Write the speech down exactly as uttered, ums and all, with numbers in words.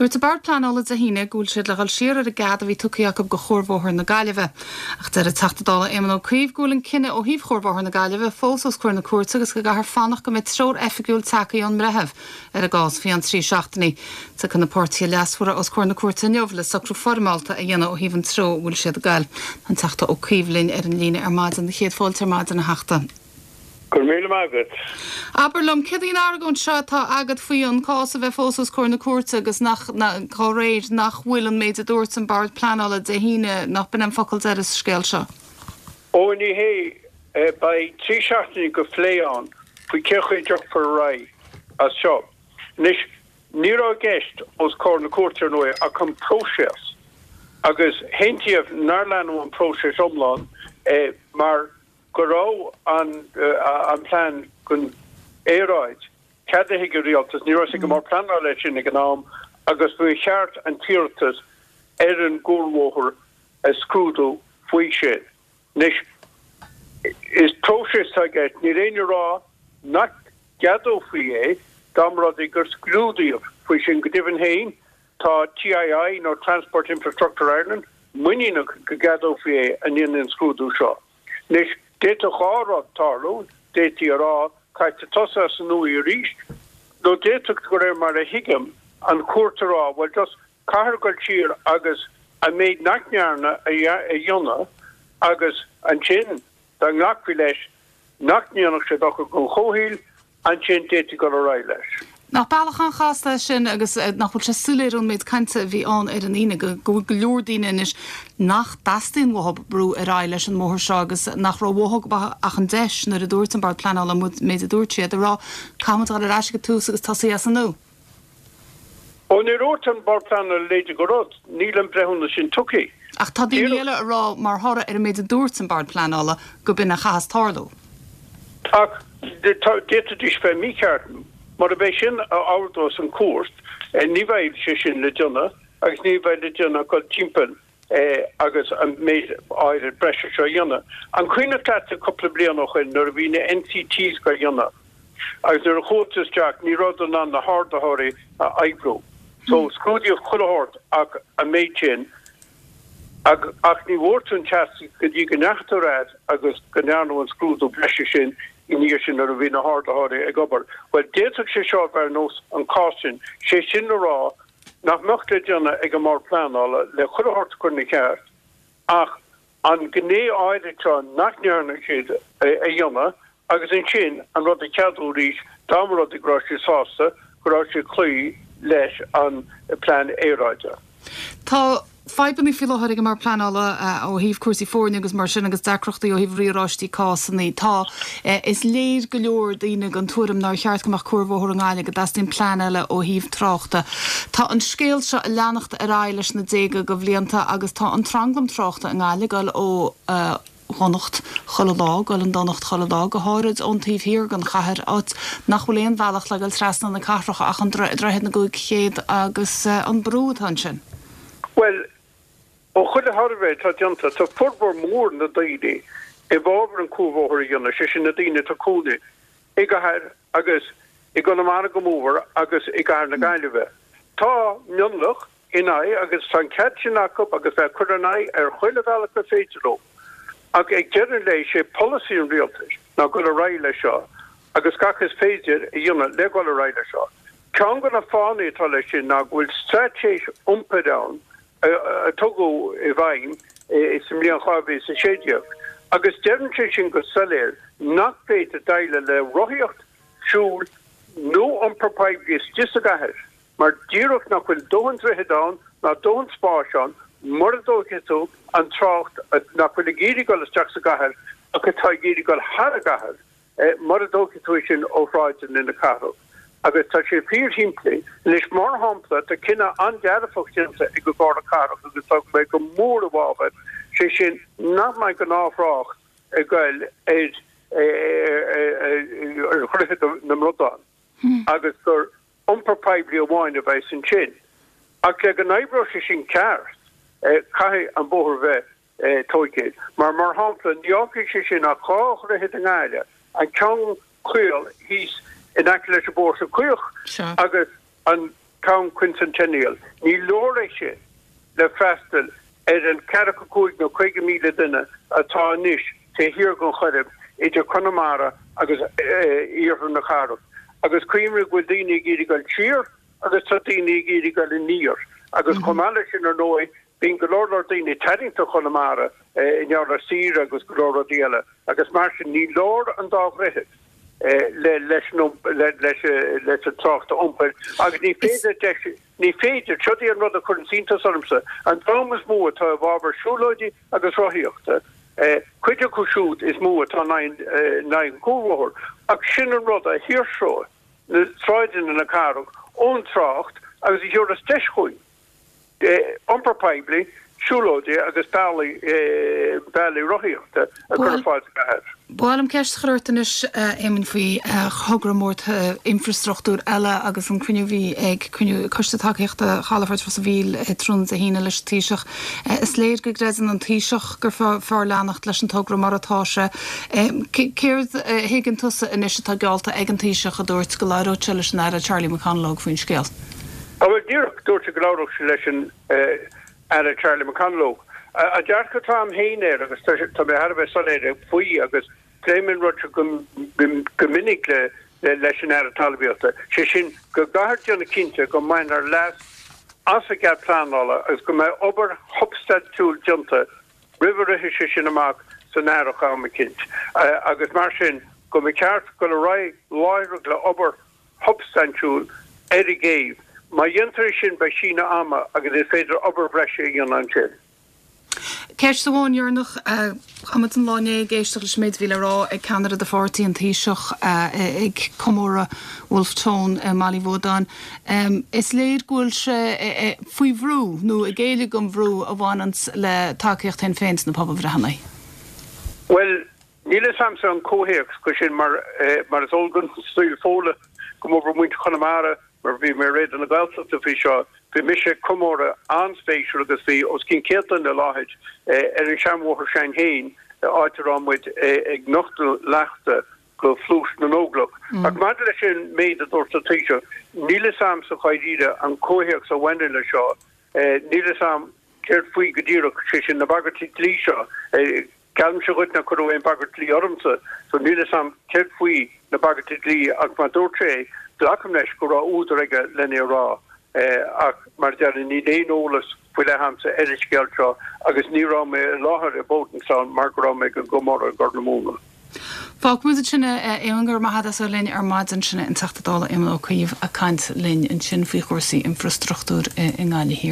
Dúirt an Bord Pleanála Dé hAoine go bhfuil siad le dhul siar ar an gcead a bhí tugtha acu do Chuarbhóthar na Gaillimhe. Ach deir an Teachta Dála Éamon Ó Cuív go bhfuil an cinneadh ó thaobh Chuarbhóthar na Gaillimhe fós os comhair na cúirte agus go gcaithfear fanacht go mbeidh treoir oifigiúil tagtha ón mbreitheamh ar an gcás faoi cheann trí seachtainí. Tiocfaidh na páirtithe leasmhara os comhair na cúirte inniu le socrú foirmeálta a dhéanamh ó thaobh an treo a bhfuil siad ag goil. An Teachta Ó Cuív linn ar an líne ar maidin na chéad fáilte ar maidin a Theachta. Gur míle agat. Aber liom cad í an argóint seo atá agat faoi an cás a bheith fós os comhair na cúirte agus nach cá réir nach bhfuil an méid a dúirt an Bord Pleanála Dé hAoine nach b'in an focal deiridh sa scéal seo. Ó ní hé beidh trí seachtaine de phlé ann faoi cén chaoi a dtiocfar ar aghaidh as seo. Anois ní raibh i gceist os comhair na cúirte nó ach an próiseas agus aontaíodh nár leanadh an próiseas iomlán eh, mar go raibh an uh, an plean don aeráid ceadaithe ag an rialtas ní raibh go mar pleanáil leis sin ag an am agus ba cheart an t-iarratas ar an gcuarbhóthar a scrúdú faoi sin. Anois is próiseas aige ní aon rá nach gceadófaí é dá mba rud é gur scrúdaíodh faoi sin go deimhin féin tá TII nó Transport Infrastructure Ireland muiníneach go gceadófaí é i ndiaidh an scrúdú seo. Anois d'fhéadfadh dhá rud tarlú d'fhéadfaí a rá caithfidh tosú as an nua arís, nó d'fhéadfadh go réir mar a thuigim an chúirt a rá well just caithfear dul siar agus an méid nach ndearnadh a dhéanamh agus ansin dá nglacfaí leis nach ndéanfadh sé dochar don chomhshaol ansin d'fhéadfaí dul ar aghaidh leis. Nach bealach an-chasta sin agus eh, nach bhfuil sé soiléir ón méid cainte a bhí ann ar an Aoine go go go leor daoine anois nach dteastaíonn uathu brú ar aghaidh leis an mbóthar seo agus nach raibh uathu ach an deis nuair a dúirt an Bord Pleanála méid a dúirt siad a rá caithfimid dul ar ais go tús agus tosaí as an nua. Ó ní dúirt an Bord Pleanála leide go rud, níl an breithiúnas sin tugtha. Ach tá daoine eile ag rá mar thoradh ar an méid a dúirt an Bord Pleanála go b'in a chaithfeas tarlú. Ach d'fhéadfaidís bheith mícheart mar a bheidh sin a ordós an chúirt ní bheidh sé sin le déanamh agus ní bheidh le déanamh go timpeall agus an méid áirid breise seo dhéanamh. An cuimhin leat cúpla bliain ó shin nuair a bhí na NCTs á ndéanamh. Agus nuair a chuaigh isteach ní raibh in ann na hardaitheoirí a oibriú. So scrúdaíodh chuile shórt ach an méid sin ach, ach ní bhfuair tú an teastas go dtí go ndeachaigh agus go ndearnadh an scrúdú breise sin i ndiaidh sin nuair a bhí na hardaitheoirí ag obair. Well d'fhéadfadh sé seo bheith ar nós an cás sin, sé sin le rá nach mbeadh le déanamh ag an mBord Pleanála le chuile shórt a chur ina cheart ach an gné áirid seo nach ndearna siad a dhéanamh agus ansin an rud a cheadú arís dá mba rud é go raibh siad sásta go raibh sé cloí leis an plean aeráide. Tá fadhbanna faoi láthair ag an mBord Pleanála ó thaobh cúrsaí foirne agus mar sin agus deacrachtaí ó thaobh riaráistí cásanna. Tá is léir go leor daoine den tuairim nár cheart go mbeadh cuarbhóthar i nGaillimh go dteastaíonn plean eile ó thaobh tráchta. Tá an scéal seo ag leanacht ar aghaidh leis na déaga de bhlianta agus tá an tranglam tráchta i nGaillimh ag dul ó uh, dhonacht chuile lá, dul i ndonacht chuile lá, go háirid ón taobh thiar den chathair áit nach bhfuil aon bhealach le dul trasna na cathrach ach an droichead na gcúig chéad agus uh, an brú atá ansin. Well, ó chuile shuirbhé atá déanta tá formhór mór na daoine i bhfabhar an cuarbhóthar a dhéanamh sé sin na daoine atá ina gcónaí i gcathair agus i gConamara go mór agus i gcathair na Gaillimhe. Tá mionlach in aghaidh agus tá an cead sin acu agus bheith cur in aghaidh ar chuile bhealach gur féidir leo. Ach ag deireadh an lae sé polasaí an rialtais ná dul ar aghaidh leis seo agus gach is féidir a dhéanamh le dul ar aghaidh leis seo. Ceann de na fáthanna atá leis sin ná go bhfuil straitéis iompair ann a tugadh i bhfeidhm sa mbliain dhá mhíle is a sé déag. Agus deireann sé sin go soiléir nach féidir déileáil le rothaíocht siúl nó iompar poiblí istigh sa gcathair, mar díreach nach bhfuil dóthain droichead ann ná dóthain spáis ann mura dtógfaidh tú an trácht nach bhfuil ag iarraidh dul isteach sa gcathair ach atá ag iarraidh dul thar an gcathair mura dtógfaidh tú sin ó shráideanna na cathrach. Agus tá sé fíorshimplí anois mar shampla tá cinneadh an-dearfach déanta ag an gComhairle Cathrach agus tá mé go mór i bhfabhar sé sin nach mbeidh gnáth-thrácht ag dul ar ar Dhroichead na mBradán agus gur iompar poiblí amháin a bheidh ansin. Ach le go n-oibreoidh sé sin ceart caithfidh an bóthar bheith tógtha. Mar mar shampla ní fhágfaidh sé sin ach dhá dhroichead i nGaillimh an ceann caol thíos in aice leis an bPóirse Caoch agus an Town Quincentennial, ní leor é sin le freastal ar an ceathracha cúig nó caoga míle duine atá anois taobh thiar den Choirib idir Conamara agus iarthar na cathrach. Agus cuimhnigh go bhfuil daoine ag iarraidh dul siar agus tá daoine ag iarraidh dul aniar. Agus chomh maith leis sin ar ndóigh, bíonn go leor leor daoine tarraingthe go Conamara i ngeall ar saoire agus go leor rudaí eile. Agus mar sin ní leor an dá dhroichead leis leis an trácht iompair agus ní féidir deis ní féidir, seo í an rud a chuireann iontas ormsa, an dream is mó atá i bhfabhar siúlóidí agus rothaíochta, cuid acu siúd is mó atá in aghaidh an cuarbhóthair, ach sin an rud a shaoirseoidh na sráideanna na cathrach ón trácht agus a thabharfas deis chugainn iompar poiblí, siúlóidí agus bealaí bealaí rothaíochta a chur ar fáil sa gcathair. Ba mhaith liom ceist a chur ort anois, a Éamoinn, faoi thogra mór infreastruchtúir eile agus an cruinniú a bhí ag cruinniú Coiste Tacaíochta Chalafort Ros an Mhíl tráthnóna Dé hAoine leis an Taoiseach. Is léir go gcreideann an Taoiseach gur fearr leanacht leis an togra mar atá sé. Céard a thuigeann tusa anois atá geallta ag an Taoiseach a dúirt go labhródh sé leis an Aire Charlie McConalogue faoin scéal? Bhuel, díreach, dúirt sé go labhródh sé leis an Aire Charlie McConalogue. An dearcadh atá agam féin air, agus tá mé thar a bheith soiléir faoi agus pléim an rud seo go minic leis an Aire Talmhaíochta, sé sin go gcaithfear déanamh cinnte go mbainfear leas as an gcead pleanála agus go mbeidh obair shubstaintiúil déanta roimh a rithfidh sé sin amach san earrach am eicínt agus mar sin go mba cheart dul ar aghaidh láithreach le obair shubstaintiúil ar an gcéibh. Má dhéantar é sin beidh síneadh ama agus is féidir obair bhreise a dhéanamh ansin. Ceist amháin dheireanach, Chaith muid an lá inné ag éisteacht leis an méid a bhí le rá ag ceannaire do pháirtí, an Taoiseach, ag comóradh Wolfe Tone i mBaile Uí Bhuadáin. Is léir go bhfuil sé faoi bhrú, nó ag géilleadh don bhrú a bhaineanns le tacaíocht Shinn Féin sna pobalbhreitheanna. Bhuel, níl a fhios a'msa an comhthéacs go sin mar mar is eol don saol Fódhla go mór mhór muintir Chonamara mar bhí mé ar Raidió na Gaeltachta faoi seo, bhí mise ag comóradh an-spéisiúil agus bhí os cionn céad duine i láthair ar an seanbhóthar s'againn féin áit a raibh muid ag nochtadh leachta go Phluais na nÓglach. Ach maidir leis an méid a dúirt an Taoiseach, níl a fhios a'msa dháiríre an comhthéacs a bhaineann leis seo, níl a fhios a'm céard faoi go díreach, sé sin na bagairtí dlí seo. Geallaimse dhuit nár cuireadh aon bhagairt dlí ormsa, so níl a fhios a'm céard faoi na bagairtí dlí ach má dúirt sé é, glacaim leis go raibh údar aige len é a rá. Ach mar a deirim, níl aon eolas faoi leith a'msa ar an scéal seo agus ní raibh mé i láthair i Bodenstown mar go raibh mé ag an gcomóradh i gCorr na Móna. Fágfaimid ansin é, a Éamoinn, go raibh maith agat as a bheith linn ar maidin. Sin é an Teachta Dála Éamon Ó Cuív ag caint linn ansin faoi chúrsaí infreastruchtúir i nGaillimh Thiar.